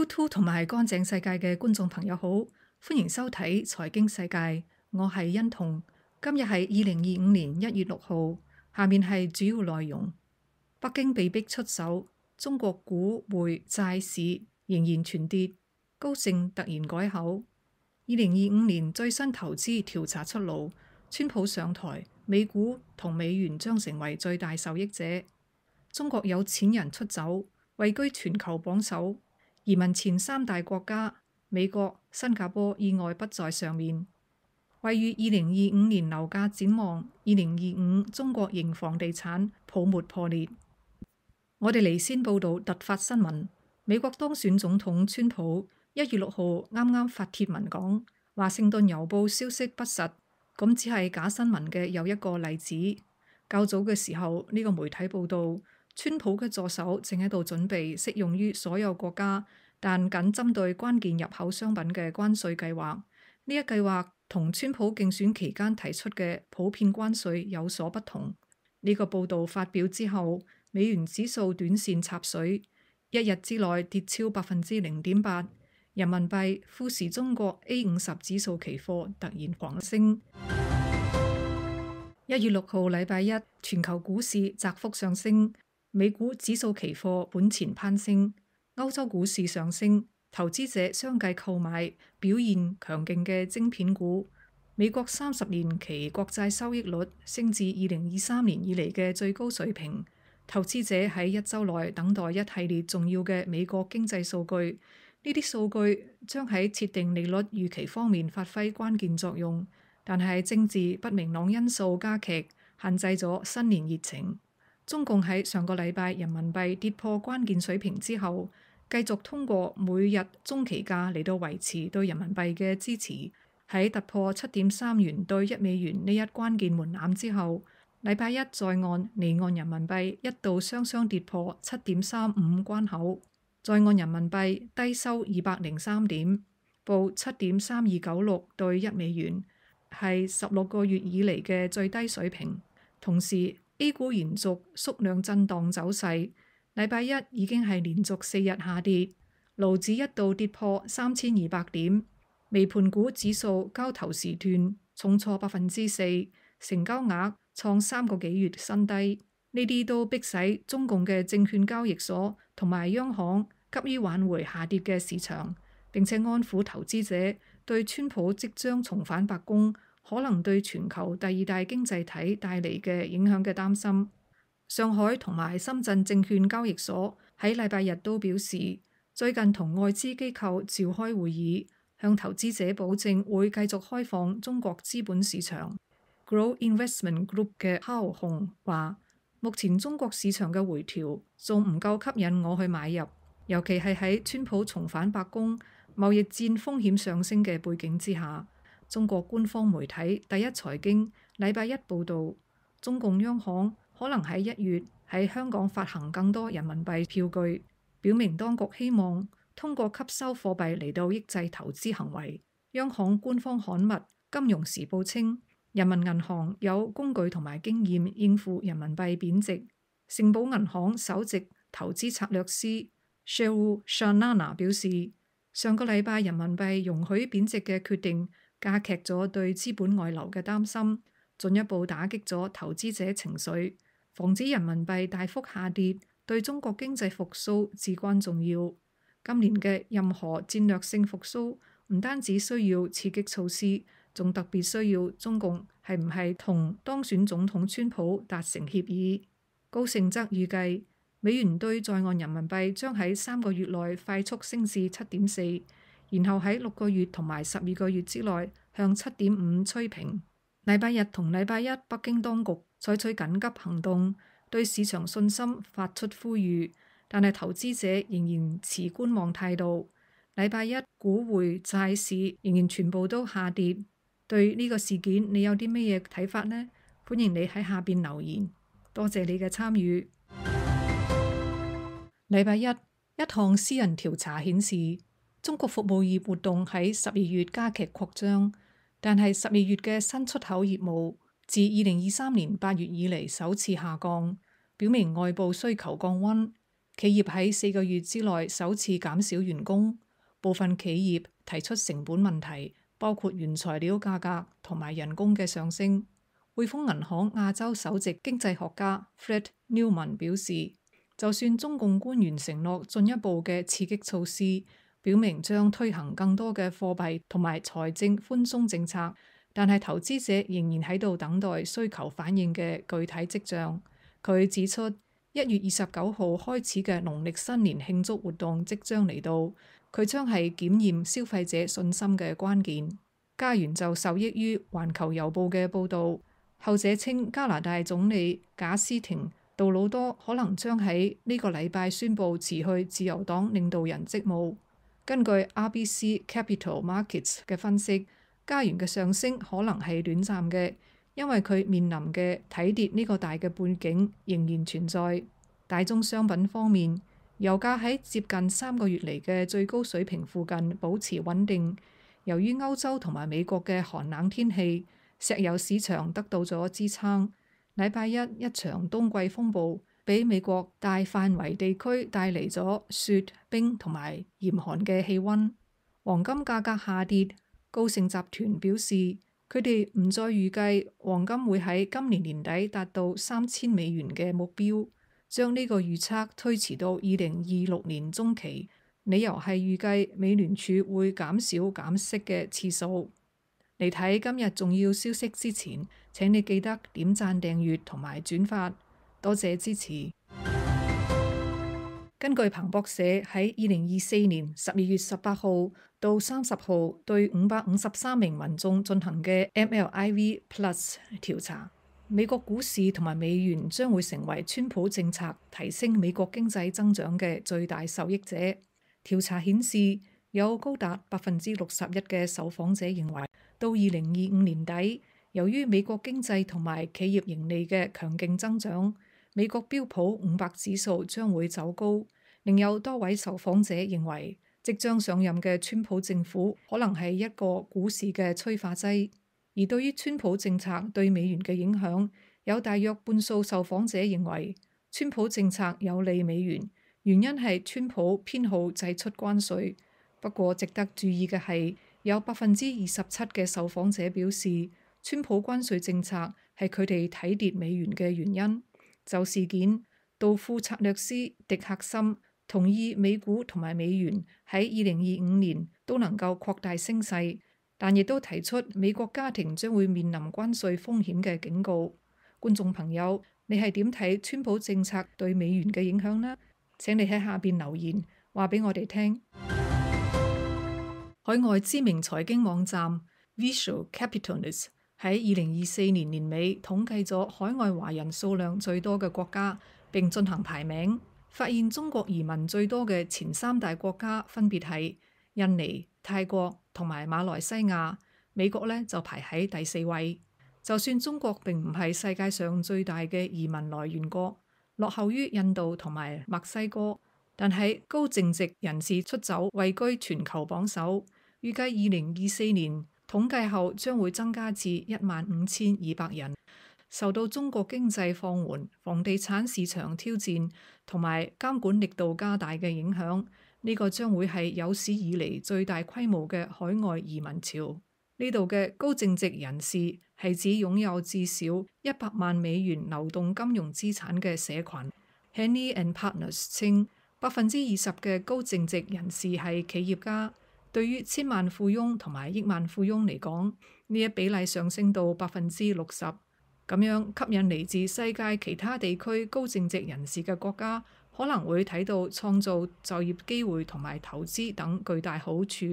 YouTube 同埋乾淨世界嘅觀眾朋友好，歡迎收睇財經世界，我係欣彤。今日係2025年1月6號，下面係主要內容。北京被逼出手，中國股匯債市仍然全跌，高盛突然改口。2025年最新投資調查出爐，川普上台，美股同美元將成為最大受益者。中國有錢人出走，位居全球榜首。移民前3大國家美國、新加坡意外不在上面。位於2025年樓價展望，2025中國型房地產泡沫破裂。我哋嚟先報道突發新聞。美國當選總統川普1月6號啱啱發帖文講，華盛頓郵報消息不實，咁只係假新聞嘅又一個例子。較早嘅時候，呢個媒體報道，川普嘅助手正喺度準備適用於所有國家，但僅針對關鍵入口商品嘅關稅計劃。呢一計劃同川普競選期間提出嘅普遍關稅有所不同。呢個報導發表之後，美元指數短線插水，一日之內跌超0.8%。人民幣富時中國 A50 指數期貨突然狂升。1月6號禮拜一，全球股市窄幅上升。美股指數期貨本錢攀升，歐洲股市上升，投資者相繼購買表現強勁嘅晶片股。美國30年期國債收益率升至2023年以嚟嘅最高水平。投資者喺一週內等待一系列重要嘅美國經濟數據，呢啲數據將喺設定利率預期方面發揮關鍵作用，但係政治不明朗因素加劇，限制咗新年熱情。中共喺上個禮拜人民幣跌破關鍵水平之後，繼續通過每日中期價嚟到維持對人民幣嘅支持。喺突破7.3元對1美元呢一關鍵門檻之後，禮拜一在岸離岸人民幣一度雙雙跌破7.35關口，在岸人民幣低收203點，報7.3296對1美元，係16個月以嚟嘅最低水平。同時A 股延續縮量震盪走勢，禮拜一已經係連續4日下跌，滬指一度跌破3200點，微盤股指數交投時段重挫4%，成交額創3個幾月新低。呢啲都迫使中共嘅證券交易所同埋央行急於挽回下跌嘅市場，並且安撫投資者對川普即將重返白宮可能對全球第2大經濟體帶嚟嘅影響嘅擔心。上海同埋深圳證券交易所喺禮拜日都表示，最近同外資機構召開會議，向投資者保證會繼續開放中國資本市場。Grow Investment Group 嘅鮑雄話，目前中國市場嘅回調仲唔夠吸引我去買入，尤其係喺川普重返白宮、貿易戰風險上升嘅背景之下。中國官方媒體第一財經禮拜一報導，中共央行可能喺1月喺香港發行更多人民幣票據，表明當局希望通過吸收貨幣嚟到抑制投資行為。央行官方刊物《金融時報》稱，人民銀行有工具同埋經驗應付人民幣貶值。盛寶銀行首席投資策略師 Sheryl Shanana 表示，上個禮拜人民幣容許貶值嘅決定加劇咗對資本外流嘅擔心，進一步打擊咗投資者情緒，防止人民幣大幅下跌，對中國經濟復甦至關重要。今年嘅任何戰略性復甦唔單止需要刺激措施，仲特別需要中共係唔係同當選總統川普達成協議。高盛則預計美元對在岸人民幣將喺3個月內快速升至7.4，然後喺6個月同埋12個月之內向7.5趨平。禮拜日同禮拜一，北京當局採取緊急行動，對市場信心發出呼籲，但係投資者仍然持觀望態度。禮拜一股匯債市仍然全部都下跌。對呢個事件你有啲咩嘢睇法呢？歡迎你喺下邊留言。多謝你嘅參與。禮拜一，一項私人調查顯示，中國服務業活動喺12月加劇擴張，但係12月嘅新出口業務自2023年8月以嚟首次下降，表明外部需求降溫。企業喺4個月之內首次減少員工，部分企業提出成本問題，包括原材料價格同埋人工嘅上升。匯豐銀行亞洲首席經濟學家 Fred Newman 表示，就算中共官員承諾進一步嘅刺激措施，表明將推行更多嘅貨幣同埋財政寬鬆政策，但係投資者仍然喺度等待需求反應嘅具體跡象。佢指出，1月29號開始嘅農曆新年慶祝活動即將嚟到，佢將係檢驗消費者信心嘅關鍵。加元就受益於環球郵報嘅報導。後者稱加拿大總理賈斯廷杜魯多可能將喺呢個禮拜宣布辭去自由黨領導人職務。根據 RBC Capital Markets 嘅分析，加元嘅上升可能係短暫嘅，因為佢面臨嘅睇跌呢個大嘅背景仍然存在。大宗商品方面，油價喺接近3個月嚟嘅最高水平附近保持穩定。由於歐洲同埋美國嘅寒冷天氣，石油市場得到咗支撐。禮拜一場冬季風暴俾美國大範圍地區帶嚟咗雪、冰同埋嚴寒嘅氣溫。黃金價格下跌，高盛集團表示佢哋唔再預計黃金會喺今年年底達到$3000嘅目標，將呢個預測推遲到2026年中期，理由係預計美聯儲會減少減息嘅次數。嚟睇今日重要消息之前，請你記得點讚、訂閱同埋轉發，多謝支持。根據彭博社喺2024年12月18號到30號對553名民眾進行嘅 MLIV Plus 調查，美國股市同埋美元將會成為川普政策提升美國經濟增長嘅最大受益者。調查顯示，有高達61%嘅受訪者認為，到2025年底，由於美國經濟同埋企業盈利嘅強勁增長，美國標普500指數將會走高。另有多位受訪者認為，即將上任嘅川普政府可能係一個股市嘅催化劑。而對於川普政策對美元嘅影響，有大約半數受訪者認為，川普政策有利美元，原因係川普偏好祭出關稅。不過值得注意嘅係，有27%嘅受訪者表示，川普關稅政策係佢哋睇跌美元嘅原因。就事件，道富策略師迪克森同意美股同埋美元喺2025年都能夠擴大升勢，但亦都提出美國家庭將會面臨關稅風險嘅警告。觀眾朋友，你係點睇川普政策對美元嘅影響呢？請你喺下邊留言話俾我哋聽。海外知名財經網站 Visual Capitalist 喺2024年年尾統計咗海外華人數量最多嘅國家，並進行排名，發現中國移民最多嘅前3大國家分別係印尼、泰國同埋馬來西亞，美國呢就排喺第4位。就算中國並唔係世界上最大嘅移民來源國，落後於印度同埋墨西哥，但係高淨值人士出走位居全球榜首。預計2024年統計後將會增加至15200人。受到中國經濟放緩、房地產市場挑戰同埋監管力度加大嘅影響，呢個將會係有史以嚟最大規模嘅海外移民潮。呢度嘅高淨值人士係指擁有至少100萬美元流動金融資產嘅社群。Henny and Partners 稱，20%嘅高淨值人士係企業家。對於千萬富翁同埋億萬富翁嚟講，呢一比例上升到60%，咁樣吸引嚟自世界其他地區高淨值人士嘅國家，可能會睇到創造就業機會同埋投資等巨大好處。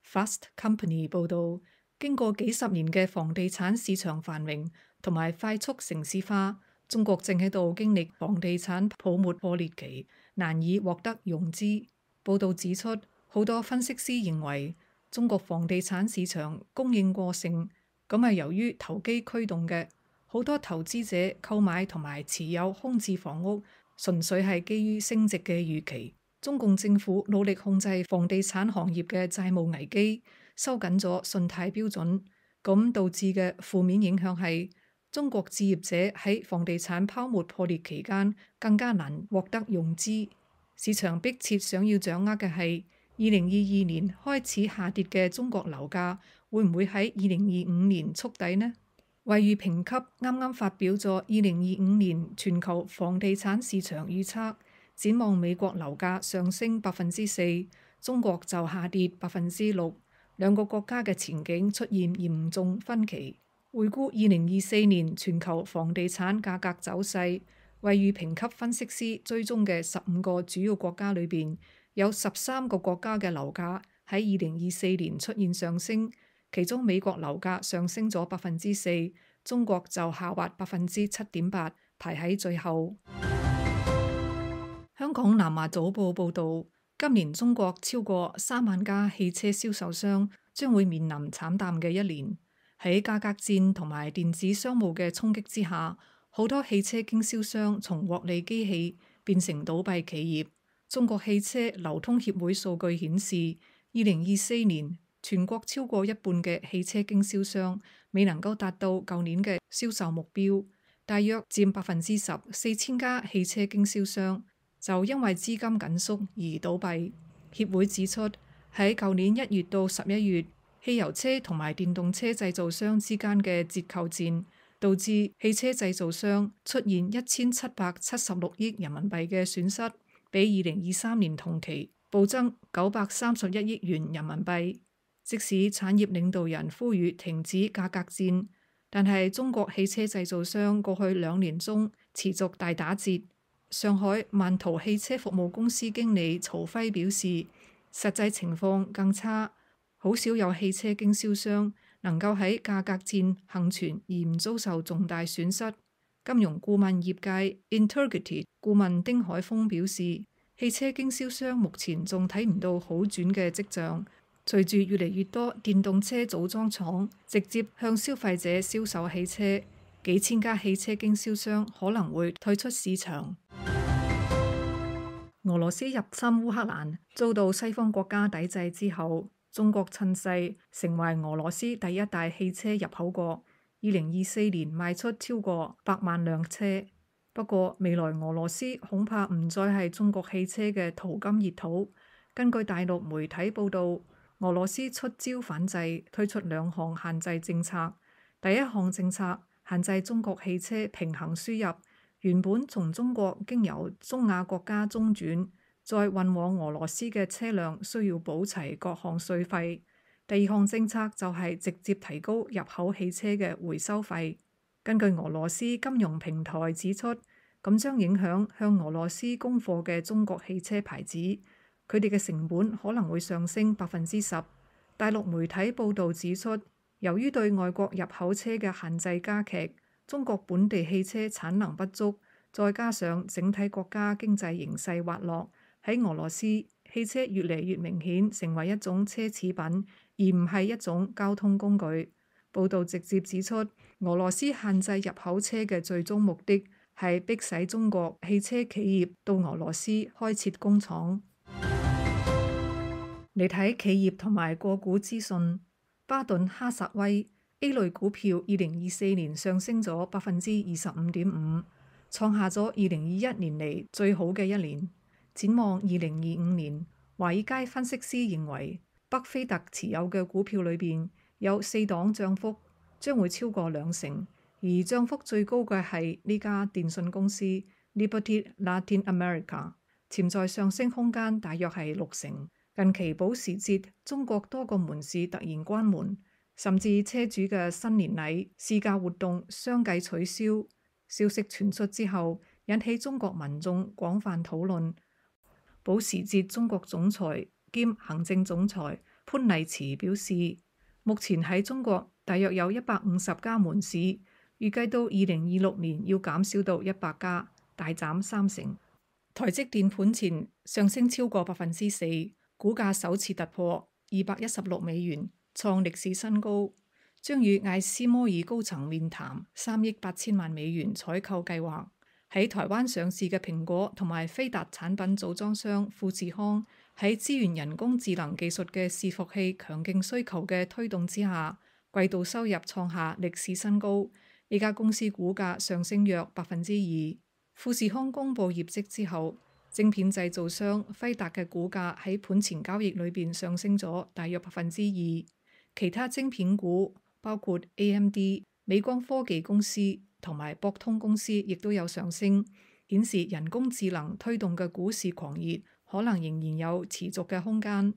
Fast Company 報導，經過幾十年嘅房地產市場繁榮同埋快速城市化，中國正喺度經歷房地產泡沫破裂期，難以獲得融資。報導指出，好多分析師認為中國房地產市場供應過剩，咁係由於投機驅動嘅。好多投資者購買同埋持有空置房屋，純粹係基於升值嘅預期。中共政府努力控制房地產行業嘅債務危機，收緊咗信貸標準，咁導致嘅負面影響係中國置業者喺房地產泡沫破裂期間更加難獲得融資。市場迫切想要掌握嘅係2022年開始下跌嘅中國樓價會唔會喺2025年觸底呢？惠譽評級啱啱發表咗2025年全球房地產市場預測，展望美國樓價上升4%，中國就下跌6%，兩個國家嘅前景出現嚴重分歧。回顧2024年全球房地產價格走勢，惠譽評級分析師追蹤嘅15個主要國家裏邊，有13個國家嘅樓價喺2024年出現上升，其中美國樓價上升咗4%，中國就下滑7.8%，排喺最後。香港南華早報報導，今年中國超過3萬家汽車銷售商將會面臨慘淡嘅一年。喺價格戰同埋電子商務嘅衝擊之下，好多汽車經銷商從獲利機器變成倒閉企業。中國汽車流通協會數據顯示，2024年全國超過一半嘅汽車經銷商未能夠達到舊年嘅銷售目標，大約佔10%。4000家汽車經銷商就因為資金緊縮而倒閉。協會指出，喺舊年1月到11月，汽油車同埋電動車製造商之間嘅折扣戰，導致汽車製造商出現1776億人民幣嘅損失，比2023年同期暴增931億元人民幣。即使產業領導人呼籲停止價格戰，但係中國汽車製造商過去2年中持續大打折。上海萬途汽車服務公司經理曹輝表示，實際情況更差。好少有汽車經銷商能夠喺價格戰幸存而唔遭受重大損失。金融顧問業界 Integrity 顧問丁海峰表示，汽車經銷商目前仲睇唔到好轉嘅跡象。隨住越嚟越多電動車組裝廠直接向消費者銷售汽車，幾千家汽車經銷商可能會退出市場。俄羅斯入侵烏克蘭遭到西方國家抵制之後，中國趁勢成為俄羅斯第一大汽車入口國，2024年賣出超過100萬輛車。不過未來俄羅斯恐怕唔再係中國汽車嘅淘金熱土。根據大陸媒體報導，俄羅斯出招反制，推出2項限制政策。第一項政策限制中國汽車平行輸入，原本從中國經由中亞國家中轉再運往俄羅斯嘅車輛需要補齊各項稅費。第二項政策就係直接提高入口汽車嘅回收費。根據俄羅斯金融平台指出，咁將影響向俄羅斯供貨嘅中國汽車牌子，佢哋嘅成本可能會上升10%。大陸媒體報導指出，由於對外國入口車嘅限制加劇，中國本地汽車產能不足，再加上整體國家經濟形勢滑落，喺俄羅斯汽車越嚟越明顯成為一種奢侈品，而唔係一種交通工具。報導直接指出，俄羅斯限制入口車嘅最終目的係迫使中國汽車企業到俄羅斯開設工廠。嚟睇企業同埋個股資訊，巴頓哈薩威 A 類股票2024年上升咗25.5%，創下咗2021年嚟最好嘅一年。展望2025年，華爾街分析師認為，巴菲特持有嘅股票裏邊有4檔漲幅將會超過20%，而漲幅最高嘅係呢家電信公司 Liberty Latin America， 潛在上升空間大約係60%。近期保時捷中國多個門市突然關門，甚至車主嘅新年禮試駕活動相繼取消。消息傳出之後，引起中國民眾廣泛討論。保時捷中國總裁兼行政總裁潘麗慈表示，目前喺中國大約有150家門市，預計到2026年要減少到100家，大減30%。台積電盤前上升超過4%。股價首次突破$216，創歷史新高，將與艾斯摩爾高層面談3億8千萬美元採購計劃。喺台灣上市嘅蘋果同埋飛達產品組裝商富士康喺支援人工智能技術嘅伺服器強勁需求嘅推動之下，季度收入創下歷史新高，呢家公司股價上升約2%。富士康公布業績之後，晶片製造商輝達嘅股價喺盤前交易裏邊上升咗大約2%。其他晶片股包括 AMD、美光科技公司同埋博通公司亦都有上升，顯示人工智能推動嘅股市狂熱可能仍然有持續嘅空間。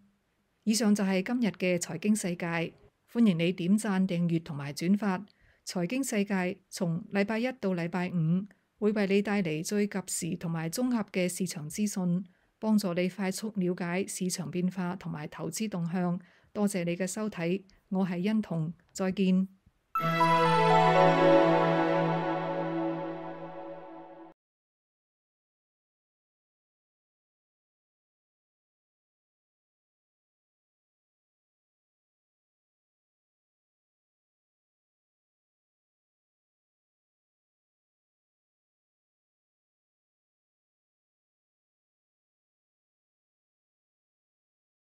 以上就係今日嘅財經世界，歡迎你點讚、訂閱同埋轉發。財經世界從禮拜一到禮拜五會為你帶嚟最及時同埋綜合嘅市場資訊，幫助你快速了解市場變化同埋投資動向。多謝你嘅收睇，我係欣彤，再見。